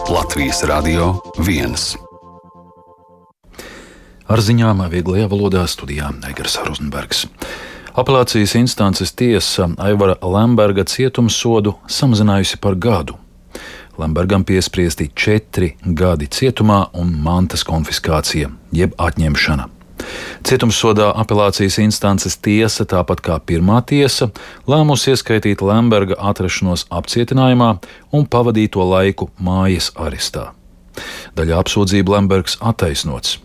Latvijas Radio 1. Ar ziņām vieglajā valodā studijā Egers Rozenbergs. Apelācijas instances tiesa Aivara Lemberga cietumsodu samazinājusi par gadu. Lembergam piespriesti 4 gadi cietumā un mantas konfiskācija, jeb atņemšana. Cietumsodā apelācijas instances tiesa, tāpat kā pirmā tiesa, lēmusi ieskaitīt Lemberga atrašanos apcietinājumā un pavadīto laiku mājas arestā. Daļā apsūdzību Lembergs attaisnots.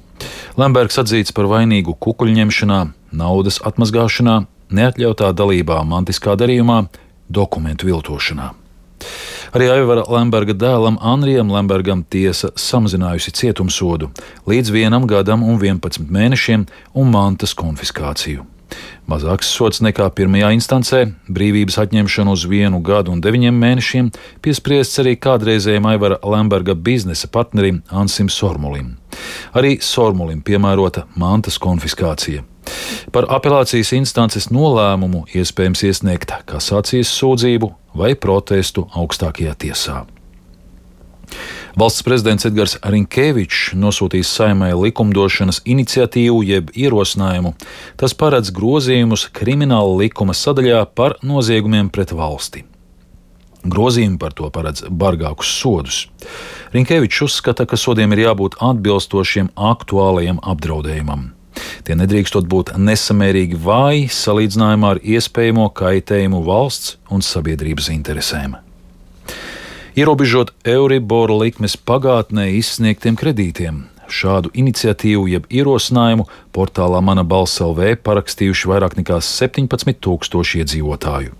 Lembergs atzīts par vainīgu kukuļņemšanā, naudas atmazgāšanā, neatļautā dalībā mantiskā darījumā, dokumentu viltošanā. Arī Aivara Lemberga dēlam Anrijam Lembergam tiesa samazinājusi cietumsodu līdz 1 gadam un 11 mēnešiem un mantas konfiskāciju. Mazāks sods nekā pirmajā instancē, brīvības atņemšanu uz 1 gadu un 9 mēnešiem, piespriests arī kādreizējam Aivara Lemberga biznesa partnerim Ansim Sormulim. Arī Sormulim piemērota mantas konfiskācija. Par apelācijas instances nolēmumu iespējams iesniegt kasācijas sūdzību vai protestu augstākajā tiesā. Valsts prezidents Edgars Rinkēvičs nosūtīs Saeimai likumdošanas iniciatīvu jeb ierosinājumu. Tas paredz grozījumus Krimināla likuma sadaļā par noziegumiem pret valsti. Grozījumi par to paredz bargākus sodus. Rinkēvičs uzskata, ka sodiem ir jābūt atbilstošiem aktuālajam apdraudējumam. Tie nedrīkstot būt nesamērīgi vāji salīdzinājumā ar iespējamo kaitējumu valsts un sabiedrības interesēm. Ierobežot Euribor likmes pagātnē izsniegtiem kredītiem. Šādu iniciatīvu jeb ierosinājumu portālā Mana balss LV parakstījuši vairāk nekā 17,000 iedzīvotāju.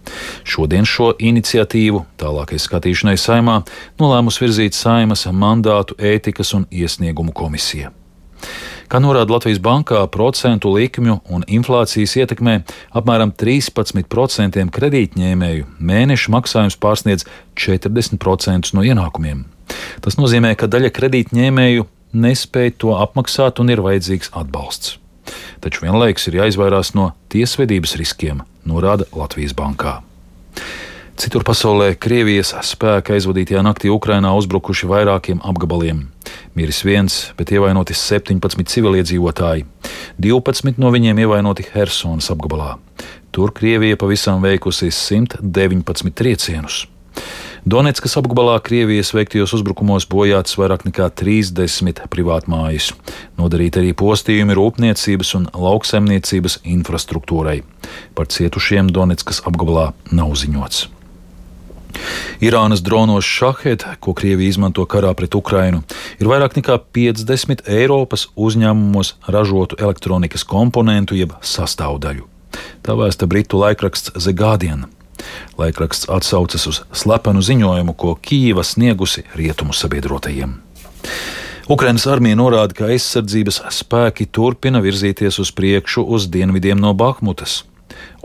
Šodien šo iniciatīvu tālākai skatīšanai Saeimā nolēmus virzīt Saeimas mandātu ētikas un iesniegumu komisija. Kā norāda Latvijas bankā, procentu likmju un inflācijas ietekmē apmēram 13% kredītņēmēju mēneša maksājums pārsniedz 40% no ienākumiem. Tas nozīmē, ka daļa kredītņēmēju nespēj to apmaksāt un ir vajadzīgs atbalsts. Taču vienlaikus ir jāizvairās no tiesvedības riskiem, norāda Latvijas bankā. Citur pasaulē Krievijas spēki aizvadītajā naktī Ukrainā uzbrukuši vairākiem apgabaliem. Miris 1, bet ievainoti 17 civiliedzīvotāji. 12 no viņiem ievainoti Hersonas apgabalā. Tur Krievija pavisam veikusi 119 triecienus. Donetskas apgabalā Krievijas veiktajos uzbrukumos bojātas vairāk nekā 30 privātmājas. Nodarīti arī postījumi rūpniecības un lauksaimniecības infrastruktūrai. Par cietušiem Donetskas apgabalā nav ziņots. Irānas dronos Šahed, ko Krievija izmanto karā pret Ukrainu, ir vairāk nekā 50 Eiropas uzņēmumos ražotu elektronikas komponentu jeb sastāvdaļu. Tā vēsta britu laikraksts The Guardian. Laikraksts atsaucas uz slepenu ziņojumu, ko Kijeva sniegusi rietumu sabiedrotajiem. Ukrainas armija norāda, ka aizsardzības spēki turpina virzīties uz priekšu uz dienvidiem no Bahmutas.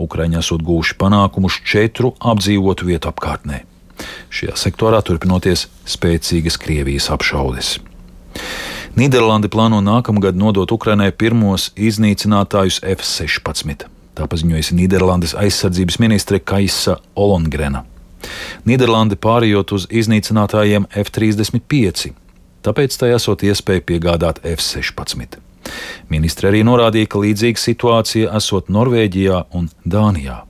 Ukraiņi esot gūši panākumus 4 apdzīvotu vietu apkārtnē. Šajā sektorā turpinoties spēcīgas Krievijas apšaudes. Nīderlande plāno nākamgad nodot Ukrainai pirmos iznīcinātājus F-16. Tā paziņojusi Nīderlandes aizsardzības ministre Kaisa Ollongrena. Nīderlande pārējot uz iznīcinātājiem F-35, tāpēc tai esot iespēja piegādāt F-16. Ministre arī norādīja, ka līdzīga situācija esot Norvēģijā un Dānijā.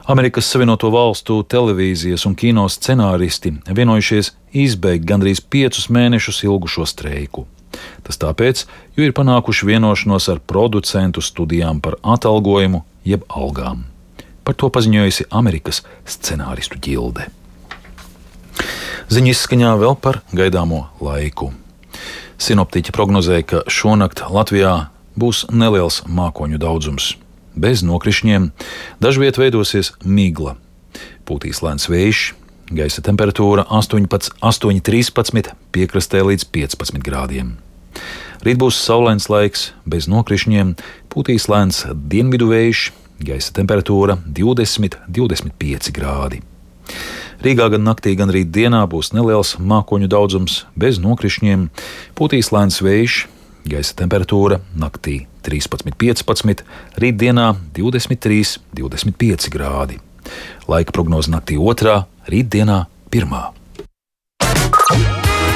Amerikas Savienoto Valstu televīzijas un kino scenāristi vienojušies izbeigt gandrīz 5 mēnešus ilgušo streiku. Tas tāpēc, jo ir panākuši vienošanos ar producentu studijām par atalgojumu jeb algām. Par to paziņojusi Amerikas scenāristu ģilde. Ziņu izskaņā vēl par gaidāmo laiku. Sinoptiķi prognozēja, ka šonakt Latvijā būs neliels mākoņu daudzums. Bez nokrišņiem, dažviet veidosies migla. Pūtīs lēns vējš, gaisa temperatūra 8,13, piekrastē līdz 15 grādiem. Rīt būs saulains laiks, bez nokrišņiem, pūtīs lēns dienvidu vējš, gaisa temperatūra 20,25 grādi. Rīgā gan naktī, gan rīt dienā būs neliels mākoņu daudzums, bez nokrišņiem, pūtīs lēns vējš, gaisa temperatūra naktī 13,15, rītdienā 23,25 grādi. Laika prognoze naktī 2, rītdienā 1.